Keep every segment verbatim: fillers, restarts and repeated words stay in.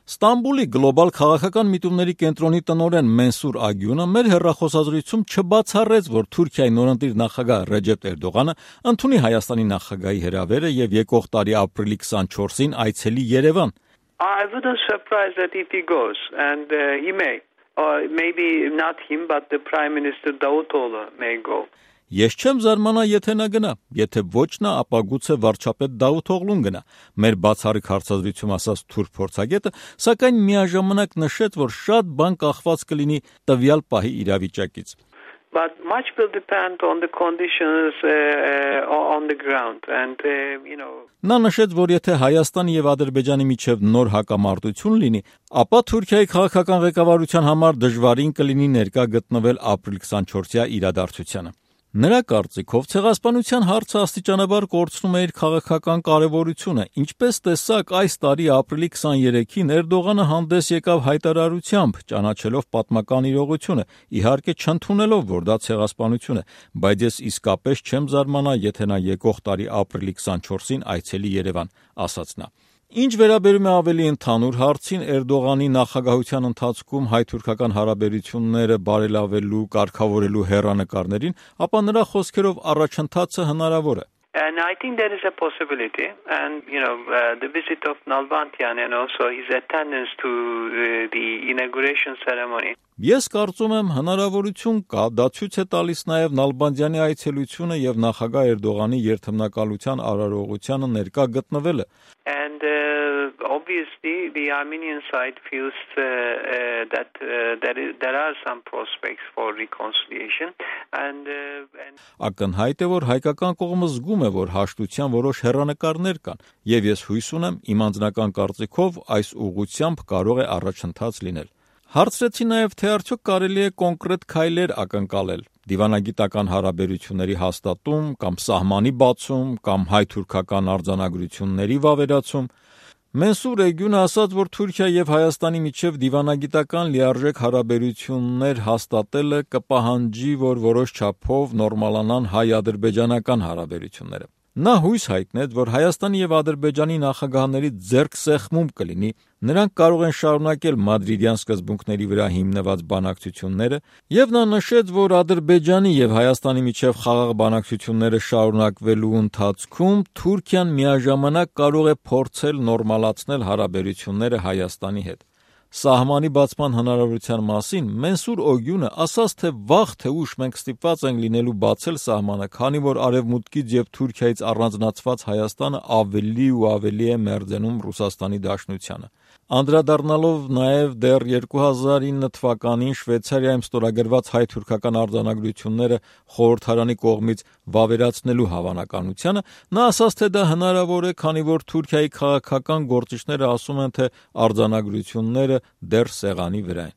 Ստամբուլի գլոբալ քաղաքական միտումների կենտրոնի տնօրեն Մենսուր Ագյունը մեր հեռախոսազրույցում չբացառեց, որ Թուրքիայի նորընտիր նախագահ Ռեջեփ Էրդողանը ընդունի Հայաստանի նախագահի հրավերը եւ եկող տարի ապրիլի քսանչորսին այցելի Երևան. I wouldn't surprise that if he goes, and uh, he may. Or maybe not him, but the Prime Minister Davutoglu may go. Ես չեմ զարմանա, եթե նա գնա, եթե ոչ նա, ապա գուցե վարչապետ Դավութօղլուն գնա, մեր բացառիկ հարցազրույցում ասաց թուրք փորձագետը, սակայն միաժամանակ նշեց, որ շատ բան կախված կլինի տվյալ պահի իրավիճակից. But much will depend on the conditions uh, on the ground and uh, you know. Նա նշեց, որ եթե Հայաստանի եւ Ադրբեջանի միջև նոր հակամարտություն լինի, ապա Թուրքիայի քաղաքական ղեկավարության համար դժվարին կլինի ներկա գտնվել ապրիլ քսանչորսյա իրադարձությանը. Նրա կարծիքով ցեղասպանության հարցը աստիճանաբար կորցնում է իր քաղաքական կարևորությունը, ինչպես տեսակ այս տարի ապրիլի քսաներեքին Էրդողանը հանդես եկավ հայտարարությամբ, ճանաչելով պատմական իրողությունը, իհարկե չընդունելով, որ դա ցեղասպանություն է, բայց ես իսկապես չեմ զարմանա, եթե նա եկող տարի ապրիլի քսանչորսին այցելի Երևան, ասաց նա. Ինչ վերաբերում է ավելի ընդհանուր հարցին, Էրդողանի նախագահության ընթացքում հայ-թուրքական հարաբերությունները բարելավելու, կարգավորելու հեռանկարներին, ապա նրա խոսքերով առաջընթացը հնարավոր է. And I think there is a possibility, and you know, uh, the visit of Nalbantian and also his attendance to uh, the inauguration ceremony. Ես կարծում եմ հնարավորություն կա, դա ցույց է տալիս նաև Նալբանդյանի այցելությունը եւ նախագահ Էրդողանի երթմնակալության արարողությանը ներկա գտնվելը. And uh, obviously the Armenian side feels uh, uh, that uh, there is, there are some prospects for reconciliation and uh, and Ակնհայտ է, որ հայկական կողմը զգում է, որ հաշտության որոշ հեռանկարներ կան, եւ ես հույս ունեմ, իմ անձնական կարծիքով այս ուղղությամբ կարող է առաջընթաց լինել. Հարցրեցի նաև, թե արդյոք կարելի է կոնկրետ քայլեր ակնկալել, դիվանագիտական հարաբերությունների հաստատում կամ սահմանի բացում կամ հայ-թուրքական արձանագրությունների վավերացում. Մենսուր Ագյունը ասաց, որ Թուրքիա եւ Հայաստանի միջև դիվանագիտական լիարժեք հարաբերություններ հաստատելը կպահանջի, որ որոշ չափով նորմալանան հայ-ադրբեջանական հարաբերությունները. Նա հույս հայտնեց, որ Հայաստանի եւ Ադրբեջանի նախագահների ձեռքսեղմում կլինի, նրանք կարող են շարունակել մադրիդյան սկզբունքների վրա հիմնված բանակցությունները, եւ նա նշեց, որ Ադրբեջանի եւ Հայաստանի միջև խաղաղ բանակցությունները շարունակվելու ընթացքում Թուրքիան միաժամանակ կարող է փորձել նորմալացնել հարաբերությունները Հայաստանի հետ. Սահմանի բացման հնարավորության մասին Մենսուր Ագյունը ասաց, թե վաղ թե ուշ մենք ստիպված ենք լինելու բացել սահմանը, քանի որ Արևմուտքից եւ Թուրքիայից առանձնացված Հայաստանը ավելի ու ավելի է մերձենում Ռուսաստանի Դաշնությանը. Անդրադառնալով նաև դեռ երկու հազար ինը թվականին Շվեյցարիայում ստորագրված հայ-թուրքական արձանագրությունները խորհրդարանի կողմից վավերացնելու հավանականությանը, նա ասաց, թե դա հնարավոր է, քանի որ Թուրքիայի քաղաքական գործիչները ասում են, թե արձանագրությունները դեռ սեղանի վրա են.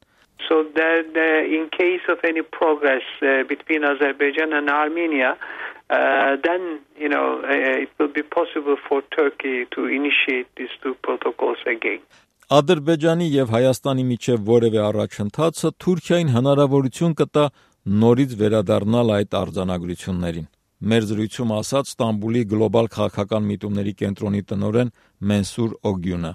So that uh, in case of any progress uh, between Azerbaijan and Armenia, uh, then you know uh, it will be possible for Turkey to initiate these two protocols again. Ադրբեջանի եւ Հայաստանի միջև որևէ առաջընթացը Թուրքիային հնարավորություն կտա նորից վերադառնալ այդ արձանագրություններին. Մեր զրույցում ասաց Ստամբուլի գլոբալ քաղաքական միտումների կենտրոնի տնօրեն Մենսուր Ագյունը.